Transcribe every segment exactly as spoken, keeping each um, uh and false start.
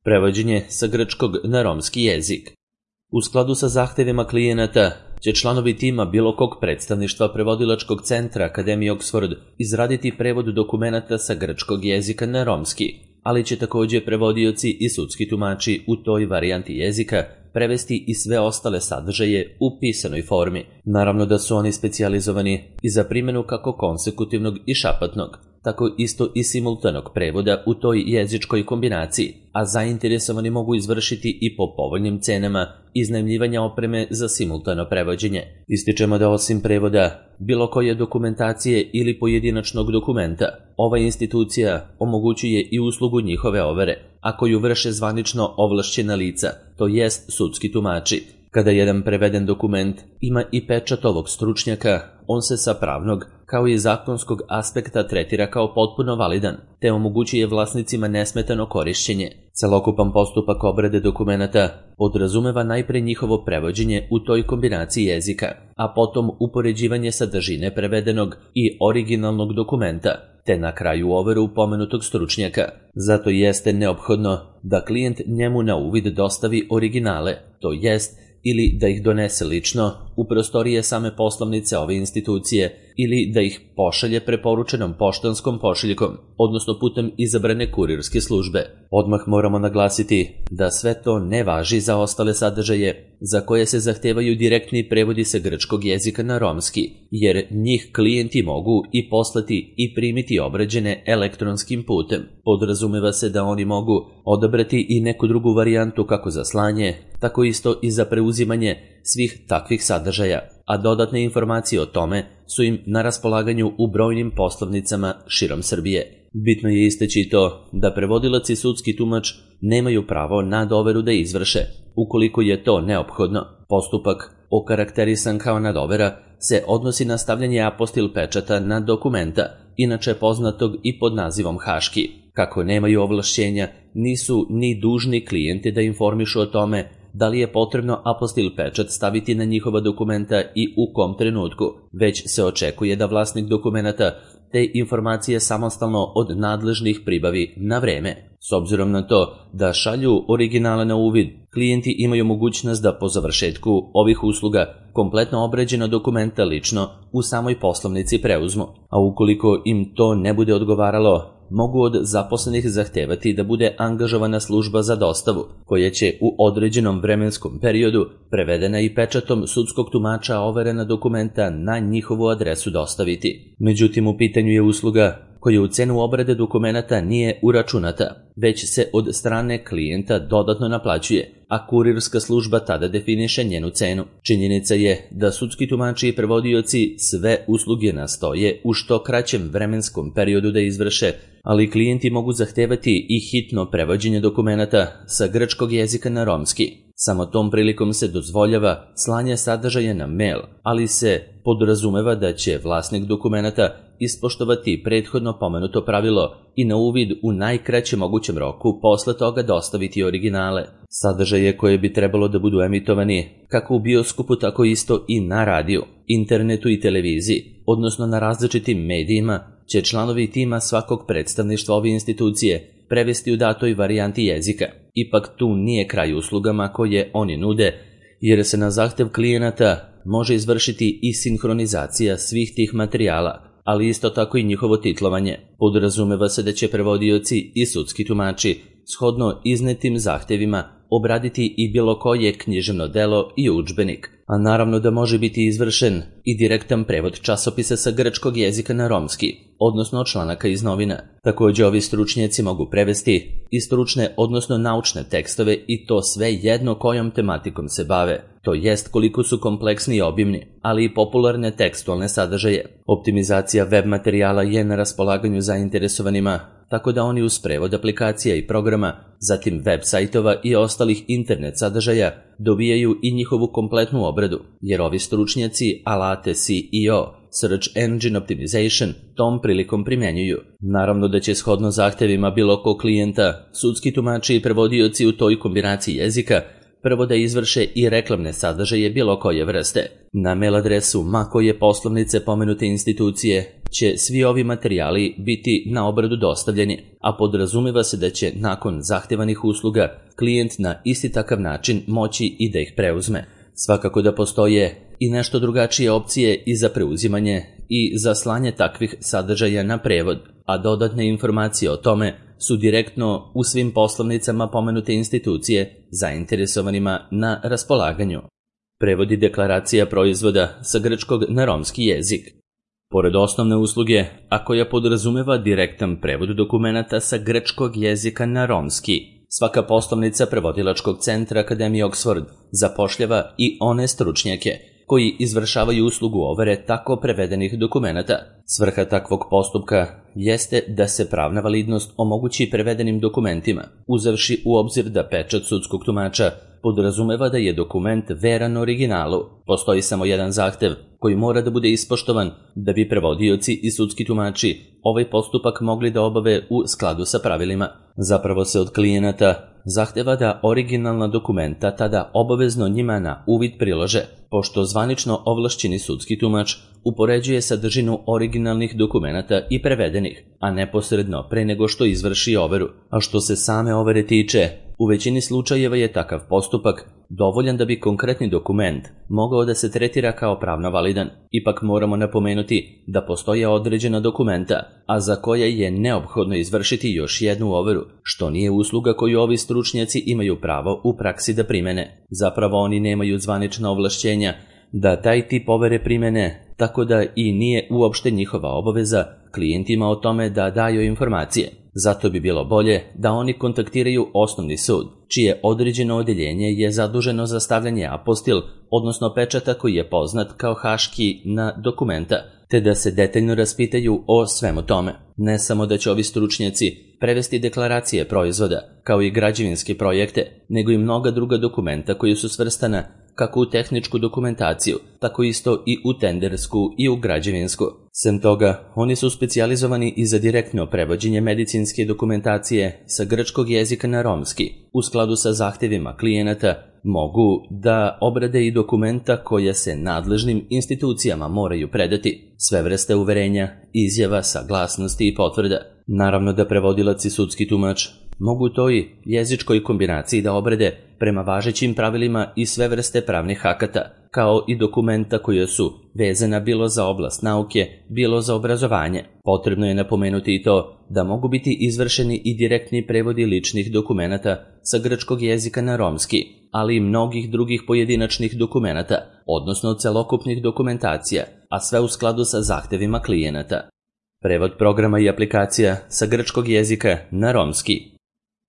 Prevođenje sa grčkog na romski jezik. U skladu sa zahtevima klijenata će članovi tima bilo kog predstavništva prevodilačkog centra Akademije Oxford izraditi prevod dokumenata sa grčkog jezika na romski, ali će također prevodioci i sudski tumači u toj varijanti jezika prevesti i sve ostale sadržaje u pisanoj formi. Naravno da su oni specijalizovani i za primjenu kako konsekutivnog i šapatnog, tako isto i simultanog prevoda u toj jezičkoj kombinaciji, a zainteresovani mogu izvršiti i po povoljnim cenama iznajmljivanja opreme za simultano prevođenje. Ističemo da osim prevoda bilo koje dokumentacije ili pojedinačnog dokumenta, ova institucija omogućuje i uslugu njihove overe, a koju vrše zvanično ovlašćena lica, to jest sudski tumači. Kada jedan preveden dokument ima i pečat ovog stručnjaka, on se sa pravnog, kao i zakonskog aspekta tretira kao potpuno validan, te omogućuje vlasnicima nesmetano korišćenje. Celokupan postupak obrade dokumenata podrazumeva najpre njihovo prevođenje u toj kombinaciji jezika, a potom upoređivanje sadržine prevedenog i originalnog dokumenta, te na kraju overu pomenutog stručnjaka. Zato jeste neophodno da klijent njemu na uvid dostavi originale, to jest ili da ih donese lično u prostorije same poslovnice ove institucije ili da ih pošalje preporučenom poštanskom pošiljkom, odnosno putem izabrane kurirske službe. Odmah moramo naglasiti da sve to ne važi za ostale sadržaje za koje se zahtevaju direktni prevodi sa grčkog jezika na romski, jer njih klijenti mogu i poslati i primiti obrađene elektronskim putem. Podrazumeva se da oni mogu odabrati i neku drugu varijantu kako za slanje, tako isto i za preuzimanje svih takvih sadržaja, a dodatne informacije o tome su im na raspolaganju u brojnim poslovnicama širom Srbije. Bitno je istaći to da prevodilac i sudski tumač nemaju pravo na doveru da izvrše. Ukoliko je to neophodno, postupak, okarakterisan kao nadovera, se odnosi na stavljanje apostil pečata na dokumenta, inače poznatog i pod nazivom haški. Kako nemaju ovlašćenja, nisu ni dužni klijenti da informišu o tome da li je potrebno apostil pečat staviti na njihova dokumenta i u kom trenutku, već se očekuje da vlasnik dokumenata te informacije samostalno od nadležnih pribavi na vreme. S obzirom na to da šalju originale na uvid, klijenti imaju mogućnost da po završetku ovih usluga kompletno obrađena dokumenta lično u samoj poslovnici preuzmu, a ukoliko im to ne bude odgovaralo, mogu od zaposlenih zahtevati da bude angažovana služba za dostavu, koja će u određenom vremenskom periodu prevedena i pečatom sudskog tumača overena dokumenta na njihovu adresu dostaviti. Međutim, u pitanju je usluga koja u cenu obrade dokumenata nije uračunata, već se od strane klijenta dodatno naplaćuje, a kurirska služba tada definiše njenu cenu. Činjenica je da sudski tumači i prevodioci sve usluge nastoje u što kraćem vremenskom periodu da izvrše, ali klijenti mogu zahtevati i hitno prevođenje dokumenata sa grčkog jezika na romski. Samo tom prilikom se dozvoljava slanje sadržaja na mail, ali se podrazumeva da će vlasnik dokumenata ispoštovati prethodno pomenuto pravilo i na uvid u najkraćem mogućem roku posle toga dostaviti originale. Sadržaje koje bi trebalo da budu emitovani kako u bioskopu, tako isto i na radiju, internetu i televiziji, odnosno na različitim medijima, će članovi tima svakog predstavništva ove institucije prevesti u datoj varijanti jezika. Ipak tu nije kraj uslugama koje oni nude, jer se na zahtev klijenata može izvršiti i sinhronizacija svih tih materijala, ali isto tako i njihovo titlovanje. Podrazumeva se da će prevodioci i sudski tumači shodno iznetim zahtevima obraditi i bilo koje književno delo i udžbenik, a naravno da može biti izvršen i direktan prevod časopisa sa grčkog jezika na romski, odnosno članaka iz novina. Također ovi stručnjaci mogu prevesti i stručne, odnosno naučne tekstove i to sve jedno kojom tematikom se bave, to jest koliko su kompleksni i obimni, ali i popularne tekstualne sadržaje. Optimizacija web materijala je na raspolaganju zainteresovanima, tako da oni uz prevod aplikacija i programa, zatim web sajtova i ostalih internet sadržaja dobijaju i njihovu kompletnu obradu, jer ovi stručnjaci alate S E O, Search Engine Optimization, tom prilikom primjenjuju. Naravno da će shodno zahtevima bilo ko klijenta, sudski tumači i prevodioci u toj kombinaciji jezika prvo da izvrše i reklamne sadržaje bilo koje vrste. Na mail adresu ma koje poslovnice pomenute institucije će svi ovi materijali biti na obradu dostavljeni, a podrazumeva se da će nakon zahtevanih usluga klijent na isti takav način moći i da ih preuzme. Svakako da postoje i nešto drugačije opcije i za preuzimanje i za slanje takvih sadržaja na prevod, a dodatne informacije o tome su direktno u svim poslovnicama pomenute institucije zainteresovanima na raspolaganju. Prevodi deklaracija proizvoda sa grčkog na romski jezik. Pored osnovne usluge, a koja podrazumeva direktan prevod dokumenata sa grčkog jezika na romski, svaka poslovnica prevodilačkog centra Akademije Oxford zapošljava i one stručnjake koji izvršavaju uslugu overe tako prevedenih dokumenata. Svrha takvog postupka jeste da se pravna validnost omogući prevedenim dokumentima, uzevši u obzir da pečat sudskog tumača podrazumeva da je dokument veran originalu. Postoji samo jedan zahtev koji mora da bude ispoštovan da bi prevodioci i sudski tumači ovaj postupak mogli da obave u skladu sa pravilima. Zapravo se od klijenata zahteva da originalna dokumenta tada obavezno njima na uvid prilože, pošto zvanično ovlašćeni sudski tumač upoređuje sadržinu originalnih dokumenata i prevedenih, a neposredno pre nego što izvrši overu. A što se same overe tiče, u većini slučajeva je takav postupak dovoljan da bi konkretni dokument mogao da se tretira kao pravno validan. Ipak moramo napomenuti da postoje određena dokumenta, a za koje je neophodno izvršiti još jednu overu, što nije usluga koju ovi stručnjaci imaju pravo u praksi da primene. Zapravo oni nemaju zvanična ovlašćenja da taj tip overe primene, tako da i nije uopšte njihova obaveza klijentima o tome da daju informacije. Zato bi bilo bolje da oni kontaktiraju osnovni sud, čije određeno odeljenje je zaduženo za stavljanje apostil, odnosno pečata koji je poznat kao haški na dokumenta, te da se detaljno raspitaju o svemu tome. Ne samo da će ovi stručnjaci prevesti deklaracije proizvoda, kao i građevinske projekte, nego i mnoga druga dokumenta koji su svrstana kako u tehničku dokumentaciju, tako isto i u tendersku i u građevinsku. Sem toga, oni su specijalizovani i za direktno prevođenje medicinske dokumentacije sa grčkog jezika na romski. U skladu sa zahtevima klijenata mogu da obrade i dokumenta koja se nadležnim institucijama moraju predati, sve vrste uverenja, izjava, saglasnosti i potvrda. Naravno da prevodilac i sudski tumač mogu toj jezičkoj kombinaciji da obrade prema važećim pravilima i sve vrste pravnih akata, kao i dokumenta koje su vezana bilo za oblast nauke, bilo za obrazovanje. Potrebno je napomenuti i to da mogu biti izvršeni i direktni prevodi ličnih dokumenata sa grčkog jezika na romski, ali i mnogih drugih pojedinačnih dokumenata, odnosno celokupnih dokumentacija, a sve u skladu sa zahtevima klijenata. Prevod programa i aplikacija sa grčkog jezika na romski.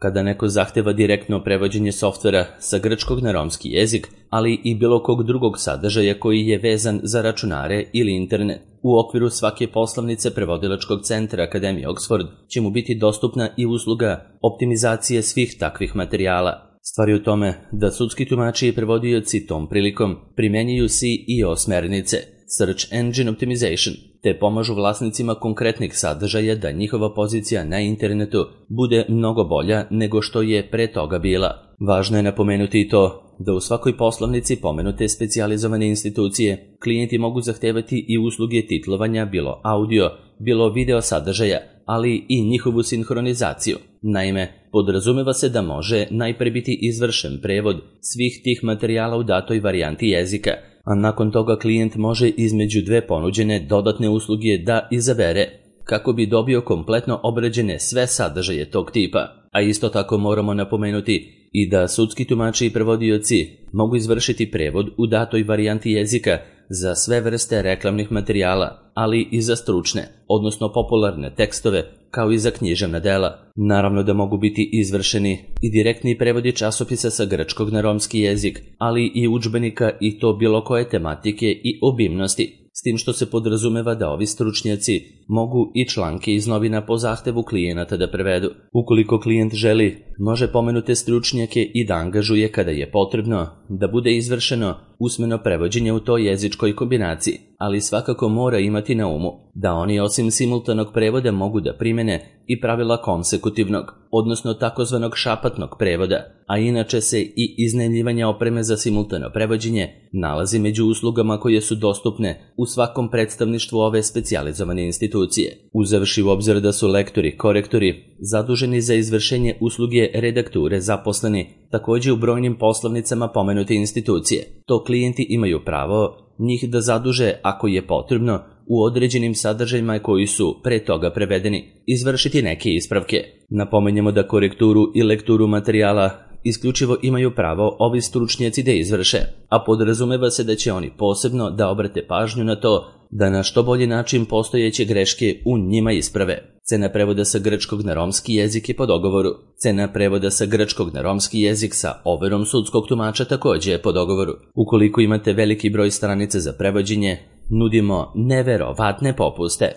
Kada neko zahteva direktno prevođenje softvera sa grčkog na romski jezik, ali i bilo kog drugog sadržaja koji je vezan za računare ili internet, u okviru svake poslovnice prevodilačkog centra Akademije Oxford će mu biti dostupna i usluga optimizacije svih takvih materijala. Stvar je u tome da sudski tumači i prevodioci tom prilikom primenjuju S E O smernice, Search Engine Optimization, te pomažu vlasnicima konkretnih sadržaja da njihova pozicija na internetu bude mnogo bolja nego što je pre toga bila. Važno je napomenuti i to da u svakoj poslovnici pomenute specijalizovane institucije klijenti mogu zahtevati i usluge titlovanja bilo audio, bilo video sadržaja, ali i njihovu sinhronizaciju. Naime, podrazumeva se da može najpre biti izvršen prevod svih tih materijala u datoj varijanti jezika, a nakon toga klijent može između dve ponuđene dodatne usluge da izabere, kako bi dobio kompletno obrađene sve sadržaje tog tipa. A isto tako moramo napomenuti i da sudski tumači i prevodioci mogu izvršiti prevod u datoj varijanti jezika za sve vrste reklamnih materijala, ali i za stručne, odnosno popularne tekstove, kao i za književna dela. Naravno da mogu biti izvršeni i direktni prevodi časopisa sa grčkog na romski jezik, ali i udžbenika i to bilo koje tematike i obimnosti, s tim što se podrazumeva da ovi stručnjaci mogu i članke iz novina po zahtevu klijenata da prevedu. Ukoliko klijent želi, može pomenute stručnjake i da angažuje kada je potrebno da bude izvršeno usmeno prevođenje u toj jezičkoj kombinaciji, ali svakako mora imati na umu da oni osim simultanog prevoda mogu da primene i pravila konsekutivnog, odnosno takozvanog šapatnog prevoda, a inače se i iznajmljivanje opreme za simultano prevođenje nalazi među uslugama koje su dostupne u svakom predstavništvu ove specijalizovane institucije. Uzevši u obzir da su lektori, korektori zaduženi za izvršenje usluge redakture zaposleni također u brojnim poslovnicama pomenute institucije, to klijenti imaju pravo njih da zaduže, ako je potrebno, u određenim sadržajima koji su pre toga prevedeni, izvršiti neke ispravke. Napomenjemo da korekturu i lekturu materijala isključivo imaju pravo ovi stručnjaci da izvrše, a podrazumeva se da će oni posebno da obrate pažnju na to da na što bolji način postojeće greške u njima isprave. Cena prevoda sa grčkog na romski jezik je po dogovoru. Cena prevoda sa grčkog na romski jezik sa overom sudskog tumača također je po dogovoru. Ukoliko imate veliki broj stranica za prevođenje, nudimo neverovatne popuste.